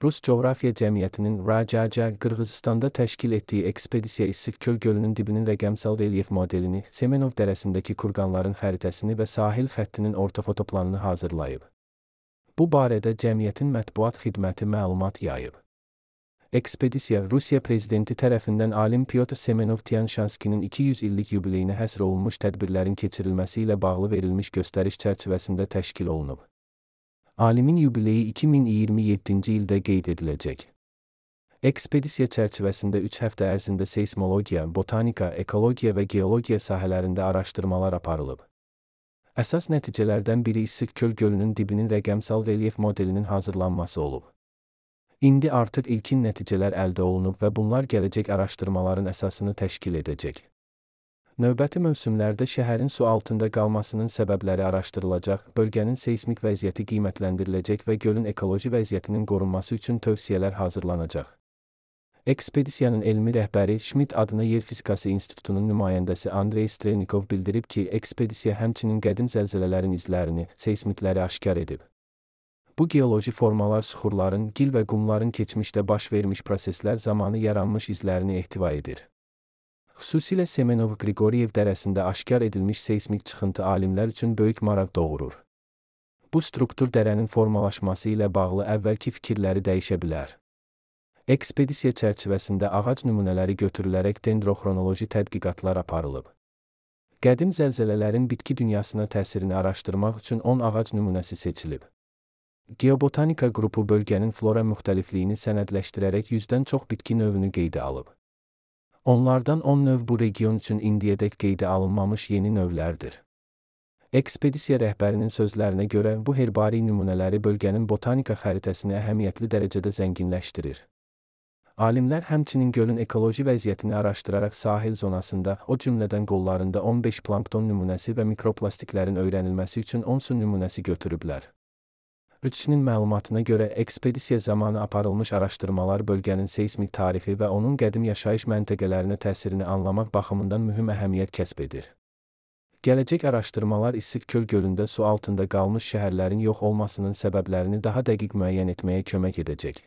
Rus Coğrafya Cəmiyyətinin RACC Qırğızstanda təşkil etdiyi ekspedisiya İssik-Köl gölünün dibinin rəqəmsal relyef modelini, Semenov dərəsindəki kurqanların xəritəsini və sahil xəttinin ortofotoplanını hazırlayıb. Bu barədə cəmiyyətin mətbuat xidməti məlumat yayıb. Ekspedisiya, Rusiya prezidenti tərəfindən alim Pyotr Semenov-Tianshanskinin 200 illik yubileyinə həsr olunmuş tədbirlərin keçirilməsi ilə bağlı verilmiş göstəriş çərçivəsində təşkil olunub. Alimin yubileyi 2027-ci ildə qeyd ediləcək. Ekspedisiya çərçivəsində 3 həftə ərzində seysmologiya, botanika, ekologiya və geologiya sahələrində araşdırmalar aparılıb. Əsas nəticələrdən biri İssik-Köl gölünün dibinin rəqəmsal relyef modelinin hazırlanması olub. İndi artıq ilkin nəticələr əldə olunub və bunlar gələcək araşdırmaların əsasını təşkil edəcək. Növbəti mövsümlərdə şəhərin su altında qalmasının səbəbləri araşdırılacaq, bölgənin seysmik vəziyyəti qiymətləndiriləcək və gölün ekoloji vəziyyətinin qorunması üçün tövsiyələr hazırlanacaq. Ekspedisiyanın elmi rəhbəri, Şmit adına Yer Fizikası İnstitutunun nümayəndəsi Andrey Strelnikov bildirib ki, ekspedisiya həmçinin qədim zəlzələlərin izlərini, seysmitləri aşkar edib. Bu geoloji formalar süxurların, gil və qumların keçmişdə baş vermiş proseslər zamanı yaranmış izlərini ehtiva edir. Xüsusilə Semenov-Qriqoryev dərəsində aşkar edilmiş seysmik çıxıntı alimlər üçün böyük maraq doğurur. Bu struktur dərənin formalaşması ilə bağlı əvvəlki fikirləri dəyişə bilər. Ekspedisiya çərçivəsində ağac nümunələri götürülərək dendroxronoloji tədqiqatlar aparılıb. Qədim zəlzələlərin bitki dünyasına təsirini araşdırmaq üçün 10 ağac nümunəsi seçilib. Geobotanika qrupu bölgənin flora müxtəlifliyini sənədləşdirərək 100-dən çox bitki növünü qeydə alıb. Onlardan 10 növ bu region üçün indiyədək qeydə alınmamış yeni növlərdir. Ekspedisiya rəhbərinin sözlərinə görə bu herbari nümunələri bölgənin botanika xəritəsini əhəmiyyətli dərəcədə zənginləşdirir. Alimlər həmçinin gölün ekoloji vəziyyətini araşdıraraq sahil zonasında, o cümlədən qollarında 15 plankton nümunəsi və mikroplastiklərin öyrənilməsi üçün 10 su nümunəsi götürüblər. RÇ-nin məlumatına görə ekspedisiya zamanı aparılmış araşdırmalar bölgənin seysmik tarifi və onun qədim yaşayış məntəqələrinə təsirini anlamaq baxımından mühüm əhəmiyyət kəsb edir. Gələcək araşdırmalar İssik-Köl gölündə su altında qalmış şəhərlərin yox olmasının səbəblərini daha dəqiq müəyyən etməyə kömək edəcək.